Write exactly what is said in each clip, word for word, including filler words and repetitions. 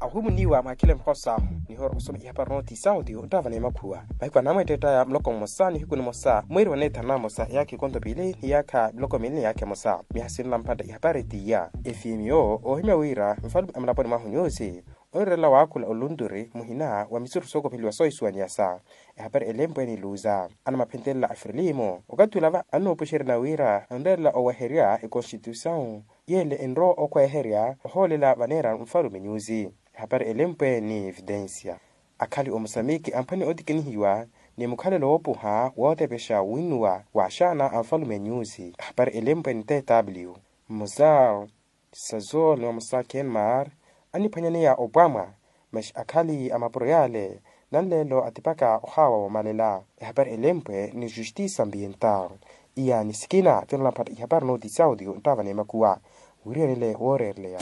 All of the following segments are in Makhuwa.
Ohumuniwa mwakhile mukhosa nihora osoma ihapari nooti sauti onttaavana emakhuwa. Mahiku anamweetteettaya muloko mmosa nihiku nimosa mweeri wa neethanu namosa eyaakha ekonto piili ni yaakha miloko miili ni yaakha emosa. Miyaha sinla mphantta ihapari ttiya efimiyo oohimya wira nfalume a mulaponi mwahu nyusi onireerela waakhula olunturi muhina wa misuru sookopheliwa soohisuwaniyasa. Ehapari elempwe ni luza anamaphentelela a frilimu okathi olava annoopuxeryana wira anreerela oweherya ekonstituisawu yeele enrowa okhweherya ohoolela vaneera nfalume nyusi. Ehapari elempwe ni evidensia akhali omusamiki amphwene otikinihiwa ni mukhalelo woopuha wootepexa winnuwa wa axaana a nfalume nyusi. Ehapari elempwe ni tw muzar sazol ni mamusa kenmar aniphwanyaneya opwamwa. Maxi akhali a mapuro yaale nanleelo atipaka ohaawa woomalela. Ehapari elempwe ni justice ambiental iya ni sikina tinola mphatta ihapari nooti sauti onttaavana emakuwa. Wiriyanile wooreereleya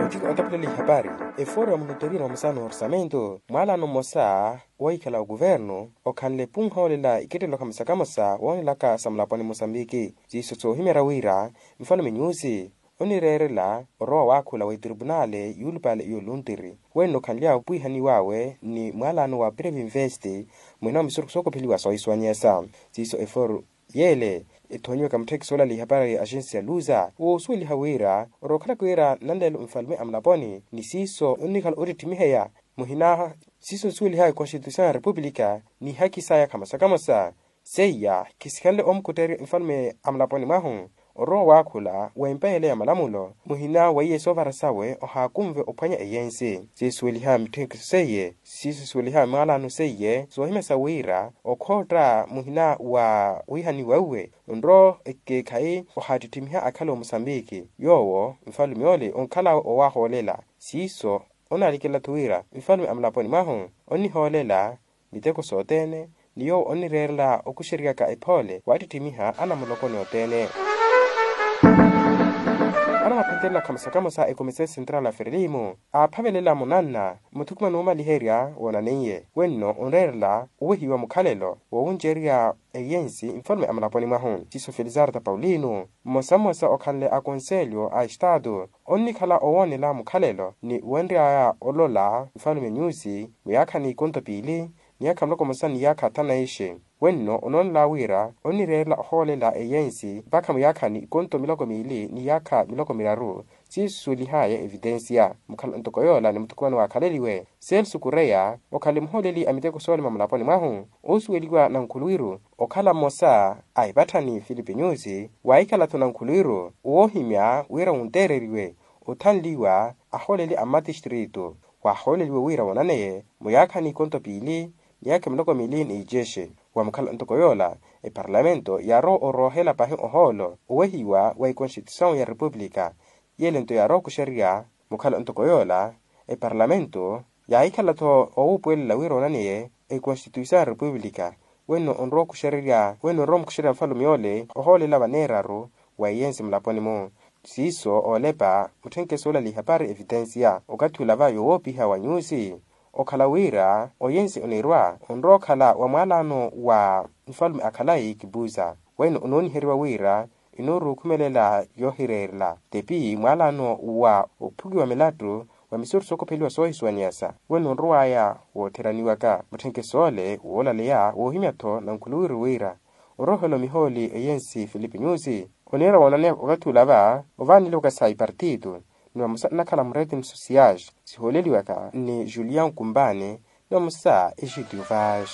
othika otaphelela ihapari efooro ya munoteriya na mamusa n'orsamento mwaalano mmosa wahikhala okuvernu okhanle epunha oolela ikettelelo khamosa khamosa woonelaka sa mulaponi musambiki siiso soohimeerya wira nfalume nyusi onireerela orowa waakhula wa etripunale yuulupale y'oluntiri wenno okhanly'awe opwihaniw'awe ni mwaalano wa previnvest muhina wa misurukhu sookopheliwa soohisuwanyesa siiso eforu yeele ethoonyiwaka mutthekisi oolala ihapari ya axensi ya luza woosuweliha wira orowa okhalaka wira nanleelo nfalume a mulaponi ni siiso onnikhala oottittimiheya muhina siiso nsuwelihaya ekonstituisawu ya repupulika n'ihaki saya khamosa khamosa seiya khisikhanle omukutterya nfalume a mulaponi mwahu orowa waakhula w'empeyele ya malamulo muhina weiye soovara sawe ohaakunve ophwanya eyensi siisuweliha mitthekiso seiye siisuweliha mwaalano seiye soohimya sa wira okhootta muhina wa wihaniwa uwe onrowa ekeekhayi ohaattittimiha akhala omusambiki yoowo nfalume ole onkhal'awe owaahoolela siiso onaalikela-tho wira nfalume a mulaponi mwahu onnihoolela miteko sothene ni yoowo onnireerela okuxeriyaka ephoole waattittimiha anamulokoni othene anamaphentelela khamosa khamosa ekomisa central a frilimu aaphavelela munanna muthukuma n'umaliherya woonaneiye wenno onreerela owehiwa mukhalelo woowuncerya eyensi nfalume a mulaponi mwahu siiso felizarta paulino mmosa mmosa okhanle a konselyo a estaatu onnikhala owoonela mukhalelo ni wenry'aya olola nfalume nyusi muyaakha n'ikonto piili niyaakha muloko mmosa niyaakha thanu na ixe wenno onoonela wira onnireerela ohoolela eyensi mpakha muyaakha n'ikonto miloko miili niyaakha miloko miraru siisuwelihaya evitensiya mukhala ntoko yoola ni muthukumano waakhaleliwe selsu kureya okhanle muhooleli a miteko soolima mulaponi mwahu oosuweliwa nankhuluwiru okhala mmosa a epatthani filipi nyusi waahikhala-tho nankhuluwiru woohimya wira wunteereriwe othanliwa ahooleli a mmatistritu waahooleliwe wira woonaneye muyaakha n'ikonto piili niyaakha miloko miili n'icexe wamukhala ntoko yoola eparlamento yaarowa oroohela pahi ohoolo owehiwa wa ekonstituisawu ya repupulika yeele nto yaarowa okuxerya mukhala ntoko yoola eparlamento yaahikhala-tho owuupuwelela wira oonaneye ekonstituisawu ya repupulika wenno onrowa okuxererya wenno onrowa omukuxererya nfalume yoole ohoolela vaneeraru wa eyensi mulaponi-mu siiso oolepa mutthenkeso oolala ihapari evitensiya okathi olava yoowoopiha wa nyusi okhala wira oyensi onirwa onrowa okhala wa mwaalano wa nfalume a khalayi kipuza wenno onooniheriwa wira enooruukhumelela yoohireerela tepi mwaalano wa ophukiwa milattu wa misuru sookopheliwa soohisuwaniyasa wenno onrow'aya wootheraniwaka mutthenkeso ole woolaleya woohimya-tho nankhuluwiru wira oroohela omihooli eyensi filipi nyusi oniira woonaneya okathi olava ovaaneliwaka sa ipartitu ni vamosa nnakhala muretin sosias sihooleliwaka ni julian kumbani ni vamosa exidiuvas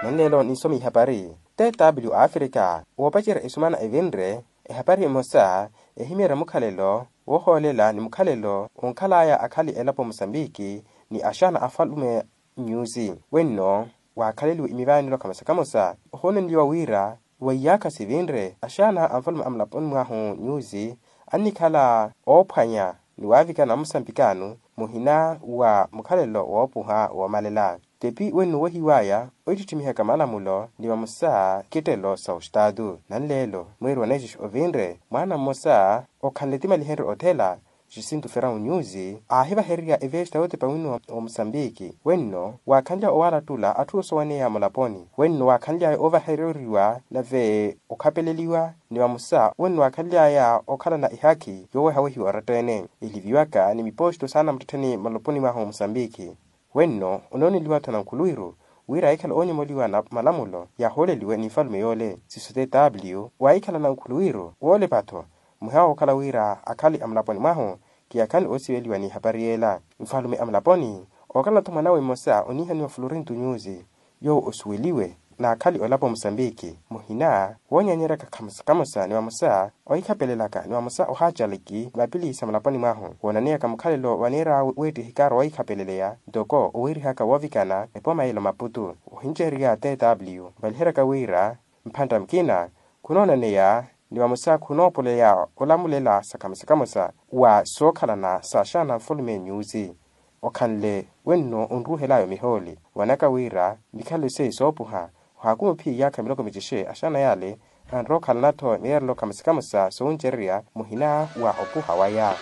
nanleelo ninsoma ihapari tw africa woopacerya esumana evinre ehapari emosa ehimeerya mukhalelo woohoolela ni mukhalelo onkhal'aya akhali elapo musambiki ni axaana afalume nyusi wenno waakhaleliwe imivaanelo khamosa khamosa ohoonenliwa wira weiyaakha sivinre axaana a nfalume a mulaponi mwahu nyusi annikhala oophwanya ni waavikana amusambikano muhina wa mukhalelo woopuha woomalela tepi wenno owehiw'aya oittittimihaka malamulo ni vamosa kittelo sa ostaatu nanleelo mweeri wa naixixi ovinre mwaana mmosa okhanle timalihenrye othela Jacinto Ferrão News aahivahererya evesta yootepa wino wa musambiki wenno waakhanly'aya owaalattula atthu osowaneya mulaponi wenno waakhanly'aya ovahereriwa nave okhapeleliwa ni vamosa wenno waakhanly'aya okhalana ehakhi yoowehawehiwa oratta-ene eliviwaka ni miposto saana muttettheni mulaponi mwahu musambiki. Wenno onooneliwa-tho nankhuluwiru wira ahikhala oonyomoliwa na malamulo yaahooleliwe ni nfalume yoole siiso tw waahikhala nankhuluwiru woolepa-tho muhiwa wookhala wira akhale a mulaponi mwahu. Kiyakhani oosiveliwa n'ihapari yeela nfalume a mulaponi ookhala-tho mwanawe mmosa oniihaniwa florinto nyusi yoowo osuweliwe n'akhali olapo musambiki muhina woonyanyeryaka khamosa khamosa ni vamosa ohikhapelelaka ni vamosa ohaacaliki mapili sa mulaponi mwahu woonaneyaka mukhalelo vaneer'awe weetti ehikaaro wohikhapeleleya ntoko owiirihaka woovikana epooma yeela omaputu ohincererya tw valiheryaka wira mphantta mukina khunoonaneya ni vamosa khunoopoleya olamulela sa khamosa khamosa wa sookhalana sa axaana a nfalume nyusi okhanle wenno onruuhel'aya omihooli wanaka wira mikhalelo seiyo soopuha ohaakumiwa ophiya iyaakha miloko micexe axaana yale anrowa okhalana-tho miyeerelo khamosa khamosa soowuncererya muhina wa opuha waya.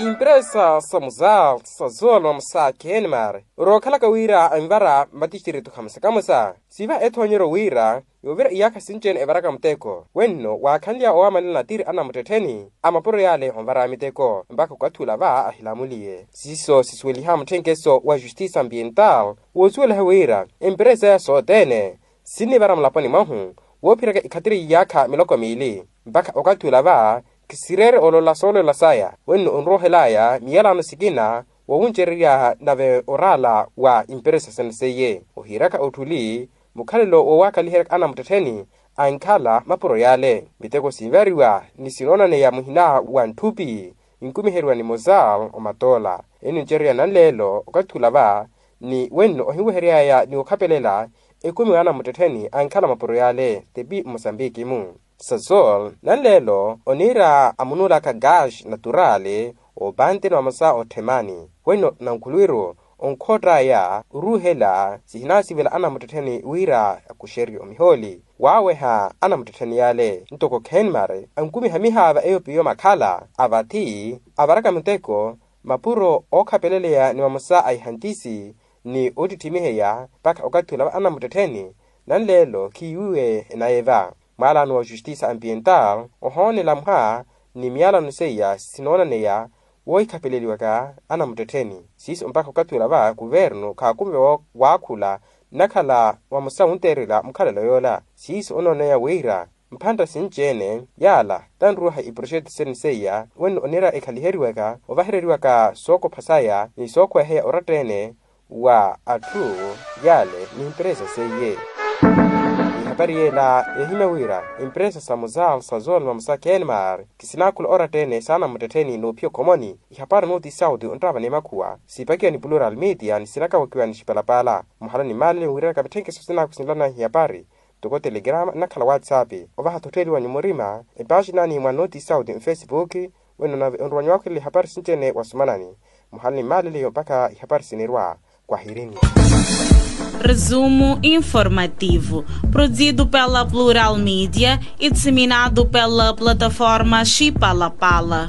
Impresa sa muzal sa zolo sa kenmar orookhalaka wira anvara matixtiritu khamosa khamosa siiva ethoonyeryo wira yoovira iyaakha sinci-ene evaraka muteko wenno waakhanly'aya owaamanela natiri anamuttettheni a mapuro yale onvara miteko mpakha okathi ula va ahilamuliye siiso sisuweliha mutthenkeso wa justice ambiental woosuweliha wira emperesa ya sothene sinnivara mulaponi mwahu woophiryaka ikhatiri y'iyaakha miloko miili mpakha okathi ula va khisireere olola soolola saya wenno onroohel'aya miyalano sikina wowuncererya nave oraala wa imperesa sene seiye ohiiraka otthuli mukhalelo woowakaliheryaka anamuttettheni ankhala mapuro yale miteko sinvariwa ni sinoonaneya muhina wa ntthupi nkumiheriwa ni mozal omatoola ennincererya nanleelo okathi ula va ni wenno ohinwehery'aya ni okhapelela ekumi wa anamuttettheni ankhala mapuro yale tepi mosambiki-mu sasol nanleelo oniira amunuulaka gash naturali oopantini vamosa otthemani wenno nankhuluwiru onkhoott'aya oruuhela sihinasivela anamuttettheni wira akuxerye omihooli waaweha anamuttettheni yale ntoko khenmar ankumiha mihaava eyo piyo makhala avathi avaraka muteko mapuro ookhapeleleya ni vamosa a ihantisi ni oottittimiheya mpakha okathi ula va anamuttettheni nanleelo khiiwiwe enaye va mwaalano wa justice ambiental ohoonela mha ni miyalano seiya sinoonaneya woohikhapeleliwaka anamuttettheni siiso mpakha okathi ula va kuvernu khaakumiwa waakhula nnakhala vamosa wunteerela mukhalelo yoola siiso onooneya wira mphantta sinci-ene yaala tanruwaha iproxeto sene seiya wenno oniira ekhaliheriwaka ovahereriwaka sookopha saya ni sookhweheya oratta-ene wa atthu yale ni emperesa seiye ihapari yeela yeehimya wira emperesa sa mozal sa zolma musa kenmar kisinaakhula oratta-ene saana muttettheni noophiya okhomoni ihapari nooti sauti onttaavana emakhuwa siipakiwa ni plural media ni sinakawakiwa ni xipalapala muhala ni maalele wiiranaka mitthenkeso sinaakhwisinlana ihapari ntoko telegrama nnakhala whatsapp ovaha-tho ottheeliwanyu murima epaxina ni mwa nooti sauti mfacebook wenno nave onruwanyu waakhwelela ihapari sinci-ene wasomanani muhala ni maaleleyo mpakha ihapari sinirwa kwahirini. Resumo informativo, produzido pela Plural Media e disseminado pela plataforma Chipalapala.